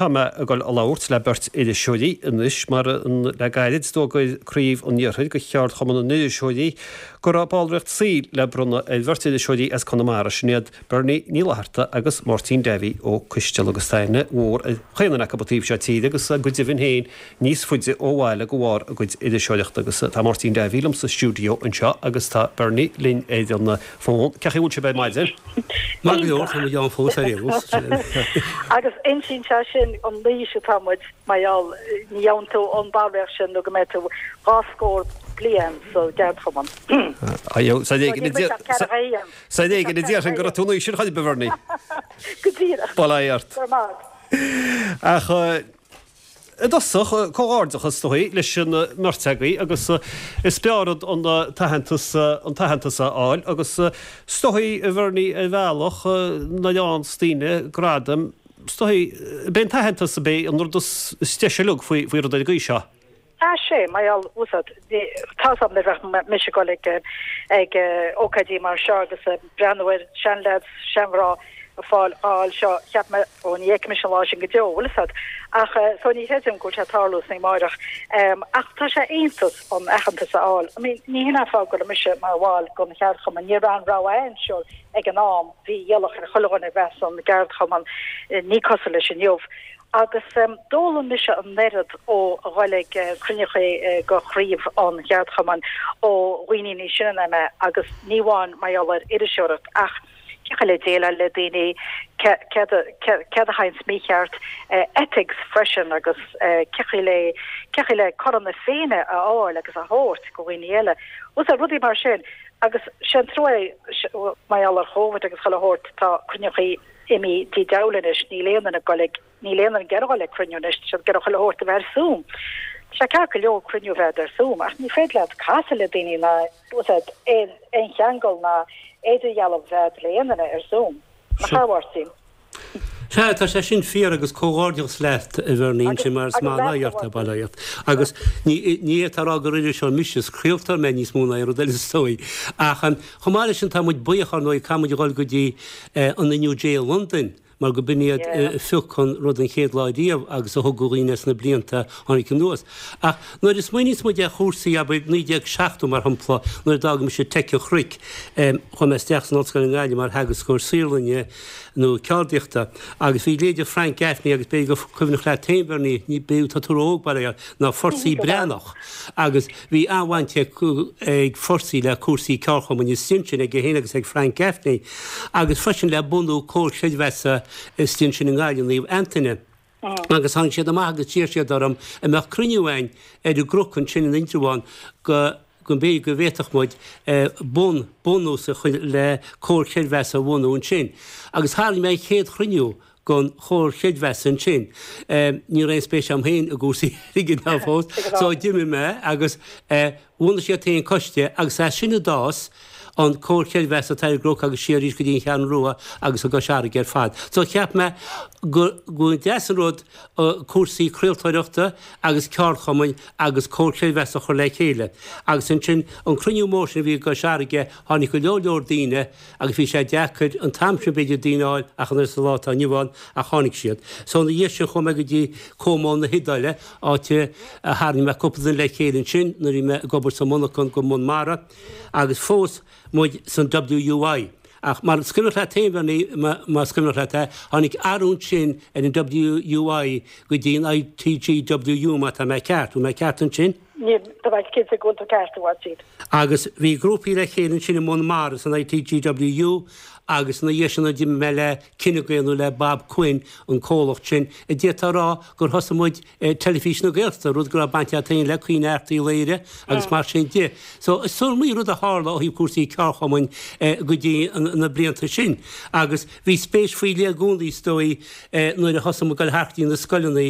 Tá mé ag dul a labhairt le beirt iriseoirí anois mar le gairid d'fhógair Craobh an Iarthair de Cheardchumann na nIriseoirí go raibh ballraíocht saoil le bronnadh ar bheirt iriseoirí as Conamara, sin iad Bernie Ní Fhlatharta agus Máirtín Davy Ó Coisteala agus tá aithne mhór ar chaon duine acu an taobh seo tíre agus go deimhin féin níos faide ó bhaile de bharr a gcuid iriseoireachta agus tá Máirtín Davy liom sa stiúideo anseo agus tá Bernie linn ar an bhfón. Cén chaoi a bhfuil sibh ar maidin? Maith go leor, tá muid ann fós ar aon nós. Agus insíonn sé sin an aois atá muid, mar gheall, ní gheobhann tú an ballraíocht sin nó go mbeidh tú dhá scór bliain sa gceardchumann. Is ar éigean a déarfainn go raibh tú an aois sin chor ar bith, a Bhernie. Go díreach. Bail ó Dhia ort. Go raibh maith agat. Ach i dtosach, comhghairdeachas is dóigh leis an mbeirt agaibh agus is breá rud an t-aitheantas an t-aitheantas a fháil agus is dóigh, a Bhernie, ar bhealach nuair a fhaigheanns daoine gradaim, is dóigh, b'é an t-aitheantas ab é an rud is deise uilig faoi faoi rud ar an gcaoi seo. Ah sé, mar gheall, úsáid, tá's agam nuair a bheadh mise ag dul ag ag ócáidí mar seo agus ag breathnú ar seanleaids, seanmhná ag fáil á fháil seo, cheap mé, ó ní fheicfidh mise an lá sin go deo, bhfuil fhios a'd. Ach so ní chreidim go bhfuil sé ag tarlú san amáireach. Ach tá sé iontach an aitheantas a fháil. I mean, ní hin an fáth go raibh mise mar bhall den cheardchumann, ní raibh aon rogha ann sure ag an am, bhí iallach ar chuile dhuine bheith san gceardchumann, ní cosúil leis inniu. Agus d'fhoghlaim mise an oiread ó dhul ag cruinneachaí go chraobh an cheardchumainn ó dhaoine níos sine ná mé agus ní amháin mar gheall ar iriseoireacht ach cén chaoi le déileáil le daoine, céard a théanns mícheart, ethics freisin agus cén chaoi le cén chaoi le cothrom na Féinne a fháil agus a thabhairt go dhaoine eile. Bhfuil fhios a'd, rudaí mar sin. Agus sé an trua é mar gheall ar Chóvid agus chuile shórt tá cruinneachaí imithe dtí deabhal anois, níl aon duine ag dul ag, níl aon duine ag iarraidh dul ag cruinniú anois, tá siad ag iarraidh chuile shórt a bheith ar Zoom. Tá sé ceart go leor cruinniú a bheith ar Zoom ach ní féidir leat casadh le daoine ná, bhfuil fhios a'd, aon, aon cheangal ná idirdhealú a bheith a'd le aon duine ar Zoom. Nach ea, a Mháirtín? Sea, tá sé sin fíor agus comhghairdeachas leat, a Bhernie, ansin mar is maith an oidhreacht é, bail ó Dhia ort. Agus ní, ní fhéadfá a rá gur iriseoir mise, is craoltóir mé níos mó ná aon rud eile is dóigh. Ach chomh maith leis sin tá muid buíoch, ar ndóigh, caithfidh muid a dhul go dtí an NUJ i Londain, mar go b'in iad a phioc an rud an chéad lá riamh agus a thug do dhaoine sna blianta a tháinig anuas. Ach nuair a smaoiníos muid ar chúrsaí, abair, 1970 mar shampla, nuair a d'fhág mise Teic an Chnoic, chuaigh mé isteach san Ollscoil i nGaillimh mar theagascóir saotharlainne nó ceardaíochta agus bhí leithéide Frank Gaffney agus b'fhéidir gur cuimhneach leat féin, Bernie, ní, b'fhéidir, tá tú ró-óg, bail ó Dhia ort, ná Fursey Breathnach agus Bhí an-bhaint ag Fursey le cúrsaí ceardchumainn istigh ansin, aige féin agus ag Frank Gaffney, agus freisin le bunú Comhar Creidmheasa istigh ansin i nGaillimh, Naomh Antaine. Agus tháinig siad amach agus d'iarr siad orm an mbeadh cruinniú againn ar an gCnoc ansin in Indreabhán go go mb'fhéidir go bhféadfadh muid bun, bunús a chur le Comhar Creidmheasa a bhunú ansin. Agus tharraing mé an chéad chruinniú den Chomhar Creidmheasa ansin. Ní raibh aon spéis agam féin i gcúrsaí airgid ná fós, so d'imigh mé agus bhunaigh siad féin coiste agus as sin a d'fhás an Comhar Creidmheasa atá ar an gCnoc agus siar arís go dtí an Cheathrú Rua agus i gCois Fharraige ar fad. So cheap mé go go deas an rud cúrsaí craoltóireachta agus ceardchumainn agus Comhar Creidmheasa a chur le chéile. Agus ansin an cruinniú mór sin a bhí i gCois Fharraige tháinig go leor leor daoine Agus bhí sé deacair an t-am sin b'fhéidir daoine a fháil ach an oiread sa lá atá inniu ann ach tháinig siad. So ina dhiaidh sin chuaigh mé go dtí Como na hIodáile, áit a tharraing mé cúpla duine le chéile ansin nuair a bhí mé ag obair sa monarchan go mbun mara agus fós muid san WUI. Ach mar is cuimhneach leat féin Bernie, más cuimhneach leat é, tháinig athrú ansin ar an WUI go dtí an ITGWU má tá mé ceart. Bhfuil mé ceart ansin? Níl, tá mé cinnte go bhfuil tú ceart, a Mháirtín. Agus bhí grúpaí le chéile ansin i mbun mara san ITGWU agus ina dhiaidh sin nuair a d'imigh mé le Cinegael nó le Bob Quinn, an comhlacht sin, a d'fhéadfá a rá gur thosaigh muid Teilifís na Gaeltachta, rud go raibh baint agat féin le Caoineadh Airt Uí Laoghaire agus mar sin de. So is iomaí rud a tharla ó thaobh cúrsaí ceardchumainn go dtí na blianta sin. Agus bhí spéis faoi leith i gcónaí is dóigh nuair a thosaigh muid ag dul thart go dtí na scoileanna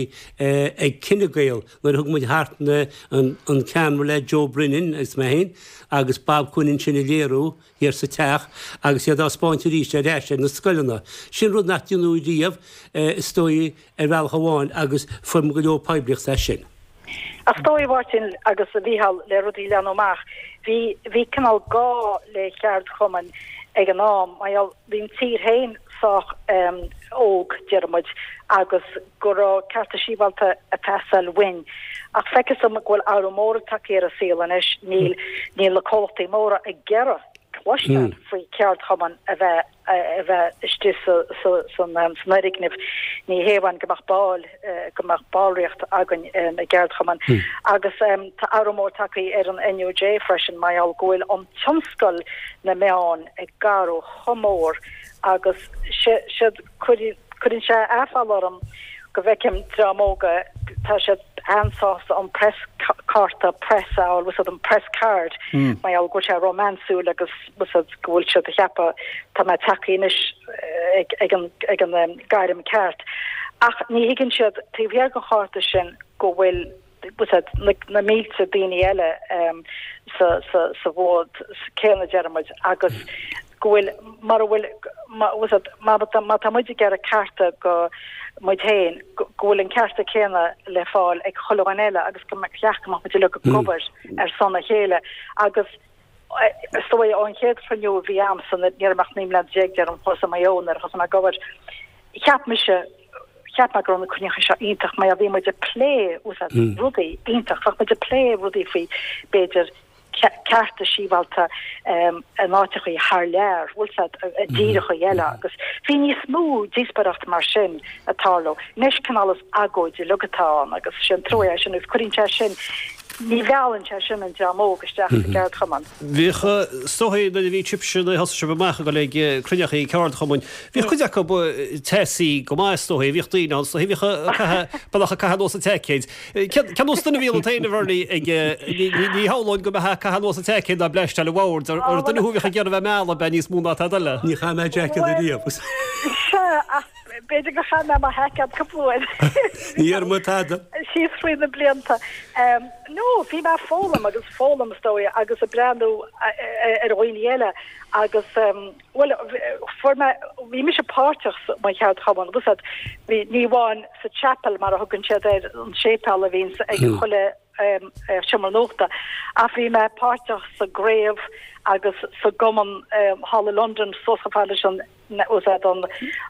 ag Cinegael, Nuair a thug muid thart na an ceamara le Joe Brennan agus mé féin agus Bob Quinn ansin a léiriú thiar sa teach agus iad á spáint arís ar ais ar na scoileanna. Sin rud nach deineadh riamh is dóigh ar bhealach amháin agus fuair muid go leor poiblíochta as sin. Ach is dóigh a Mháirtín agus a Mhícheáil le rudaí a leathnú amach bhí bhí cineál gá le cheardchumainn ag an am mar gheall bhí an tír féin. sách óg, déarfaidh muid, agus go raibh cearta sibhialta ag teastáil uainn. Ach feictear dom go bhfuil athrú mór tagtha ar an saol anois, níl níl na comhlachtaí móra ag iarraidh cloisteáil faoi cheardchumann a bheith a bheith istigh sa sa san san fhoirgneamh. Ní hé amháin go mbeadh ball go mbeadh ballraíocht againn i gceardchumann. Agus tá athrú mór tagtha ar an NUJ freisin mar gheall go bhfuil an tionscal na meán ag athrú chomh mór agus siad cuireann sé aiféala orm go bhfeicim dream óga tá siad an-sásta an press cárta press a fháil bhfuil an press card mar gheall go bhfuil sé rómánsúil agus bhfuil go bhfuil siad ag ceapadh tá mé tagtha anois ag ag an ag an gairm ceart ach ní thuigeann siad taobh thiar den chárta sin go bhfuil na mílte daoine eile sa bhfód céanna, deir muid, agus go bhfuil, mara bhfuil, má tá muid ag iarraidh cearta do muid féin, go bhfuil an cearta céanna le fáil ag chuile dhuine eile agus go cheart go mbeadh muid uilig ag obair ar son a chéile agus is dóigh ón chéad chruinniú a bhí a'msa, ní raibh mé ach 19 mbliana deirim, chuas i Maigh Eo nuair a thosaigh mé ag obair, cheap mise, cheap mé go raibh na cruinnithe seo iontach mar bhí muid ag plé rudaí iontach, bheadh muid ag plé rudaí faoi b'fhéidir cearta sibhialta in áiteachaí thar lear, bhfuil 's a'd, i dtíreachaí eile agus bhí níos mó díospóireacht mar sin ag tarlú. Anois cineál is agóid uilig atá ann agus sin trua é sin agus cuireann sé sin, ní mheallann sé sin an dream óg isteach sa gceardchumann. Bhíodh, is dóigh, nuair a bhí sibhse, nuair a thosaigh sibh amach ag dul ag cruinneachaí ceardchumainn, bhíodh cuid acu teasaí go maith is dóigh, bhíodh daoine ann, is dóigh, bhíodh ag caitheamh, bealach ag caitheamh anuas an tseaicéid. Cén nós duine a bhí ionat féin, a Bhernie, ag, ní shamhlóinn go mbeifeá ag caitheamh anuas an tseaicéid ná bleaisteáil an bhoird, ar duine thú a bhíodh ag iarraidh bheith ag mealladh, ab ea, níos mó ná tada eile? Ní chaith mé jacket ariamh. Sea, ach b'fhéidir gur chaith mé mo sheaicéad cúpla uair. Ní dhearna mé tada. Síos thrí na blianta. No, bhí mé ag foghlaim agus foghlaim is dóigh agus ag breathnú ar dhaoine eile agus bhuel fuair mé, bhí mise páirteach sa mo cheardchumann, bhfuil 's a'd, bhí, ní amháin sa chapel mar a thugann siad air, an séipéal a bhíonns ag chuile seomra nuachta ach bhí mé páirteach sa gcraobh agus sa gcumann thall i Londain suas chomh fada leis an bhfuil 's a'd an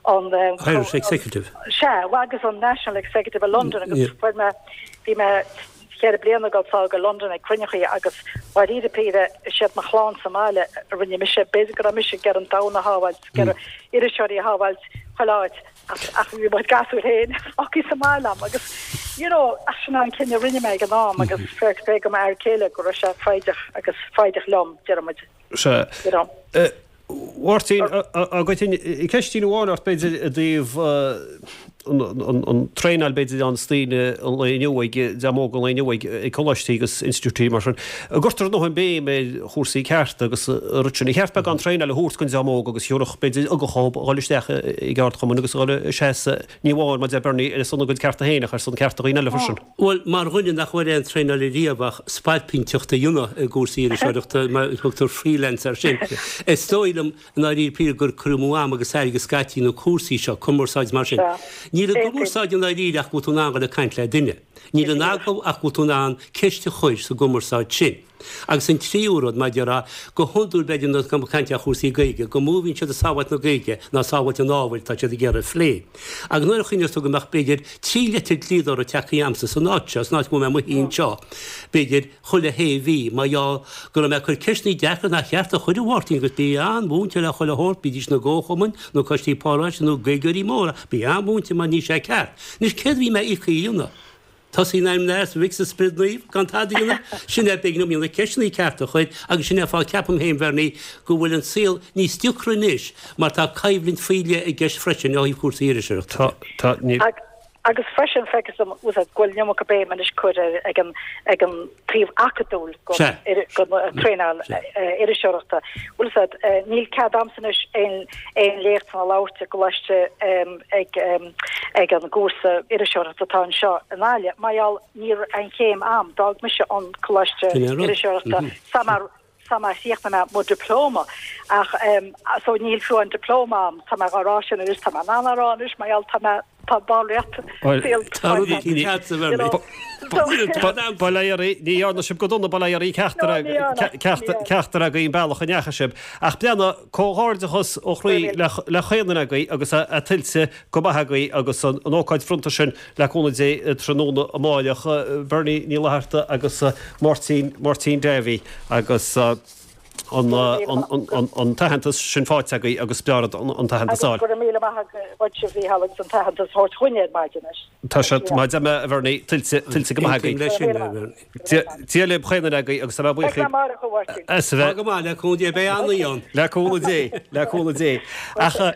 an Irish Executive. Sea, agus an National Executive i Londain agus fuair mé, bhí mé cheithre bliana ag dul sall go Londain ag cruinneachaí agus dháiríre píre is iad mo chlann sa mbaile a rinne mise, b'fhéidir go raibh mise ag iarraidh an domhan a shábháilt, ag iarraidh iriseoirí a shábháilt chuile áit ach ach bhí mo gasúir féin fágtha sa mbaile a'm agus you know ach sin an cinneadh a rinne mé ag an am agus fair play go m'fhear céile go raibh sé foighdeach agus foighdeach liom, deir muid. Sea. You know. Mháirtín, dá gcuirfinn ceistín amháin ort b'fhéidir i dtaobh an traenáil b'fhéidir a fhaigheanns daoine an lae inniu ag dream óg an lae inniu ag coláistí agus institiúidí mar sin. An gcuirtear a ndóthain béim ar chúrsaí cearta agus an rud sin. Ar cheart beagán traenáil a thabhairt don dream óg agus thiúrfadh b'fhéidir ugach dhóibh a dhul isteach i gceardchumann agus a dhul ag seasamh ní amháin mar a deir Bernie ar son a gcuid cearta féin ach ar son cearta dhaoine eile freisin. Bhuel, mar dhuine nach bhfuair aon traenáil ariamh ach spailpínteacht a dhéanamh i gcúrsaí iriseoireachta, mar a thugtar freelance air sin, is dóigh liom i ndáiríre píre gur cur amú ama agus airgid scaití na cúrsaí seo, cumarsáid mar sin. Níl i gcumarsáid i ndáiríre ach go bhfuil tú in ann dhul ag caint le duine. Níl in agallamh ach go bhfuil tú in ann ceist a chur sa gcumarsáid sin. Agus an tríú rud, mar a déarfá, go hiondúil b'fhéidir nuair atá muid ag caint ar chúrsaí Gaeilge, gur mó a bhíonn siad ag sábháilt na Gaeilge ná sábháilt an ábhair atá siad ag iarraidh a phlé. Agus nuair a chuimhneos tú go mbeadh b'fhéidir 3 leitir dlíodóra tagtha agamsa san áit seo, san áit go bhfuil mé i mo shuí anseo, b'fhéidir, chuile shé mhí, mar gheall go raibh mé ag cur ceisteanna deacra nach cheart a chur a Mháirtín agus bí an-mhúinte le chuile shórt, bídís na gcomharchumainn, nó coistí paróiste nó Gaeilgeoirí móra, bí an-mhúinte mar níl sé ceart. Anois céard a bhí mé íoctha a dhéanamh? Tosaí in ainm an Athar 's an Mhic 's an Spioraid Naoimh gan tada a dhéanamh. Sin é b'éigean dom na ceisteanna cearta a chur agus sin é an fáth ceapaim féin Bhernie go bhfuil an saol níos deacra anois mar tá coimhlint faoi leith i gceist freisin ó thaobh cúrsaí iriseoireachta de. Tá, tá, níl. Agus freisin feictear dom go bhfuil an iomarca béim anois curtha ar ag an ag an taobh acadúil den traenáil iriseoireachta. Bhfuil 'fhios a'd, níl cead a'msa anois aon aon léachtanna a labhairt i gcoláiste ag ag an gcúrsa iriseoireachta atá anseo i nGaillimh mar gheall ní raibh an chéim a'm. D'fhág mise an coláiste iriseoireachta sa sa mar chríochnaigh mé mo diplóma ach so níl fiú an diplóma a'm. Tá mé dhá rá sin anois, tá mé in ann á rá anois mar gheall tá mé. Tá ballraíocht saoil Tá rud éicint agatsa, a Bhernie. Bail ó Dhia oraibh, ní dhearna sibh go dona, bail ó Dhia oraibh ceachtar agaibh an bealach a ndeachaigh sibh. Ach breathnaigh, comhghairdeachas ó chroí le chaon duine agaibh agus é tuillte go maith agaibh agus an ócáid bhronnta sin le cúnamh Dé tráthnóna amáireach, Bernie Ní Fhlatharta agus Máirtín, Máirtín Davy agus an t-aitheantas sin faighte agaibh agus b'fhearr an t-aitheantas a fháil. Agus go raibh míle maith agat a Mhícheál agus an t-aitheantas a thabhairt chugainne ar maidin anois. Tá sé, mar a deir mé a Bhernie, tuillte, tuillte go maith agaibh. Aontaím leis sin, a Bhernie. Dia libh chaon duine agaibh agus tá mé buíoch Beidh mé amárach, a Mháirtín. as a bheith. Tá go maith, le cúnamh Dé, beidh an-oíche ann. Le cúnamh Dé, le cúnamh Dé. Ach.